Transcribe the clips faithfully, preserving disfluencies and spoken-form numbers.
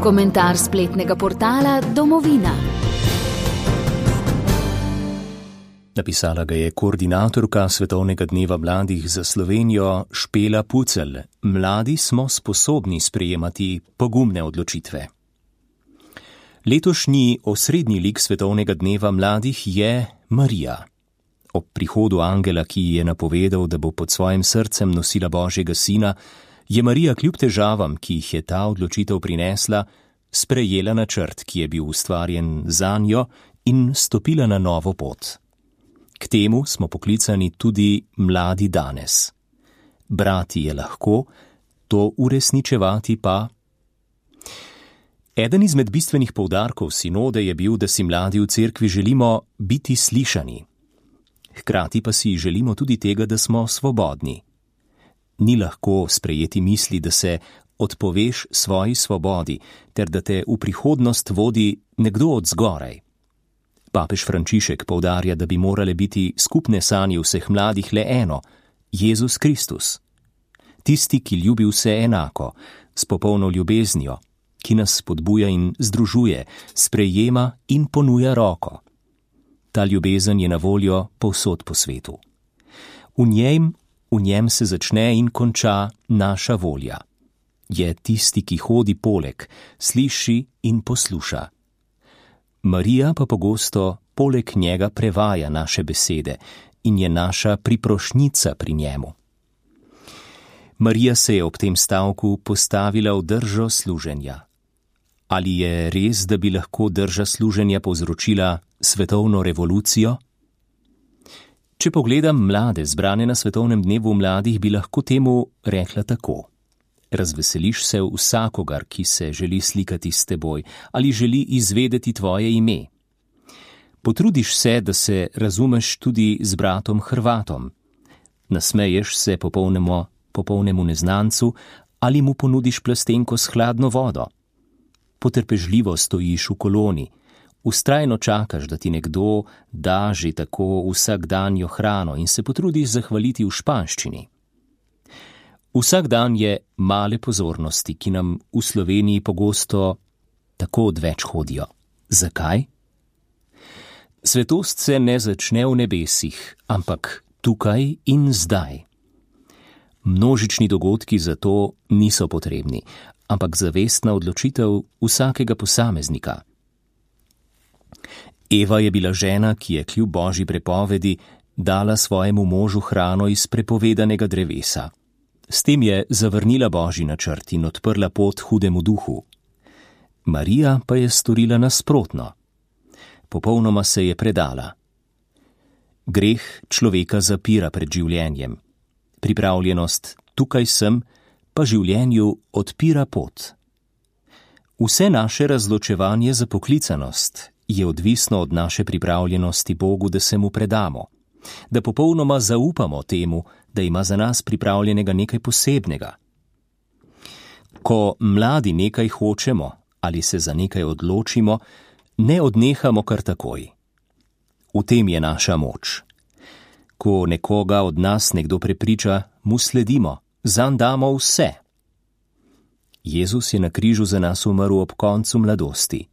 Komentar spletnega portala Domovina. Napisala ga je koordinatorka Svetovnega dneva mladih za Slovenijo Špela Pucelj. Mladi smo sposobni sprejemati pogumne odločitve. Letošnji osrednji lik Svetovnega dneva mladih je Marija. Ob prihodu angela, ki ji je napovedal, da bo pod svojim srcem nosila Božjega sina, je Marija kljub težavam, ki jih je ta odločitev prinesla, sprejela načrt, ki je bil ustvarjen zanjo, in stopila na novo pot. K temu smo poklicani tudi mladi danes. Brati je lahko, to uresničevati pa. Eden izmed bistvenih poudarkov sinode je bil, da si mladi v cerkvi želimo biti slišani. Hkrati pa si želimo tudi tega, da smo svobodni. Ni lahko sprejeti misli, da se odpoveš svoji svobodi, ter da te v prihodnost vodi nekdo od zgoraj. Papež Frančišek poudarja, da bi morale biti skupne sanje vseh mladih le eno, Jezus Kristus. Tisti, ki ljubi vse enako, s popolno ljubeznijo, ki nas spodbuja in združuje, sprejema in ponuja roko. Ta ljubezen je na voljo povsod po svetu. V njem, v njem se začne in konča naša volja. Je tisti, ki hodi poleg, sliši in posluša. Marija pa pogosto poleg njega prevaja naše besede in je naša priprošnjica pri njemu. Marija se je ob tem stavku postavila v držo služenja. Ali je res, da bi lahko drža služenja povzročila svetovno revolucijo? Če pogledam mlade zbrane na Svetovnem dnevu mladih, bi lahko temu rekla tako. Razveseliš se vsakogar, ki se želi slikati s teboj ali želi izvedeti tvoje ime. Potrudiš se, da se razumeš tudi z bratom Hrvatom. Nasmeješ se popolnemu, popolnemu neznancu ali mu ponudiš plastenko s hladno vodo. Potrpežljivo stojiš v koloni, vztrajno čakaš, da ti nekdo da že tako vsakdanjo hrano in se potrudiš zahvaliti v španščini. Vsak dan je male pozornosti, ki nam v Sloveniji pogosto tako odveč hodijo. Zakaj? Svetost se ne začne v nebesih, ampak tukaj in zdaj. Množični dogodki zato niso potrebni, ampak zavestna odločitev vsakega posameznika. Eva je bila žena, ki je kljub Božji prepovedi dala svojemu možu hrano iz prepovedanega drevesa. S tem je zavrnila Božji načrt in odprla pot hudemu duhu. Marija pa je storila nasprotno. Popolnoma se je predala. Greh človeka zapira pred življenjem. Pripravljenost tukaj sem pa življenju odpira pot. Vse naše razločevanje za poklicanost je odvisno od naše pripravljenosti Bogu, da se mu predamo, da popolnoma zaupamo temu, da ima za nas pripravljenega nekaj posebnega. Ko mladi nekaj hočemo ali se za nekaj odločimo, ne odnehamo kar takoj. V tem je naša moč. Ko nekoga od nas nekdo prepriča, mu sledimo, zanj damo vse. Jezus je na križu za nas umrl ob koncu mladosti.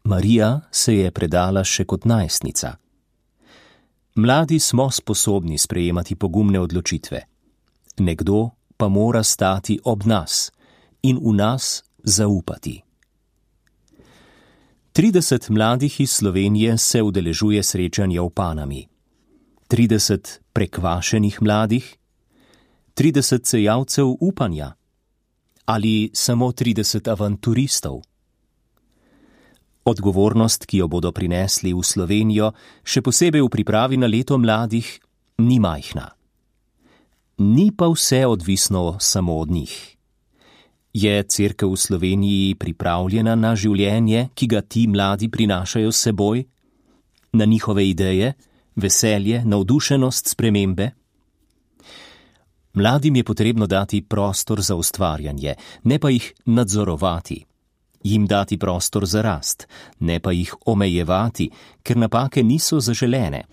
Marija se je predala še kot najstnica. Mladi smo sposobni sprejemati pogumne odločitve. Nekdo pa mora stati ob nas in v nas zaupati. trideset mladih iz Slovenije se udeležuje srečanja v Panami. trideset prekvašenih mladih, trideset sejavcev upanja ali samo trideset avanturistov. Odgovornost, ki jo bodo prinesli v Slovenijo, še posebej v pripravi na leto mladih, ni majhna. Ni pa vse odvisno samo od njih. Je cerkev v Sloveniji pripravljena na življenje, ki ga ti mladi prinašajo s seboj, na njihove ideje, veselje, navdušenost spremembe? Mladim je potrebno dati prostor za ustvarjanje, ne pa jih nadzorovati. Jim dati prostor za rast, ne pa jih omejevati, ker napake niso zaželene.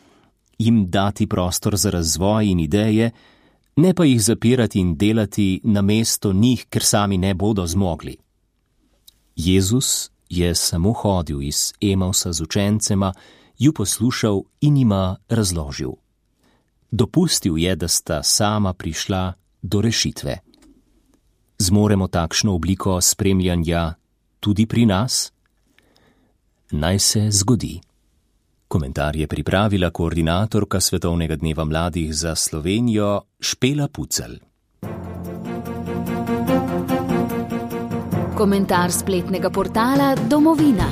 Jim dati prostor za razvoj in ideje, ne pa jih zapirati in delati namesto njih, ker sami ne bodo zmogli. Jezus je samo hodil iz Emausa z učencema, ju poslušal in jima razložil. Dopustil je, da sta sama prišla do rešitve. Zmoremo takšno obliko spremljanja tudi pri nas? Naj se zgodi. Komentar je pripravila koordinatorka Svetovnega dneva mladih za Slovenijo Špela Pucelj. Komentar spletnega portala Domovina.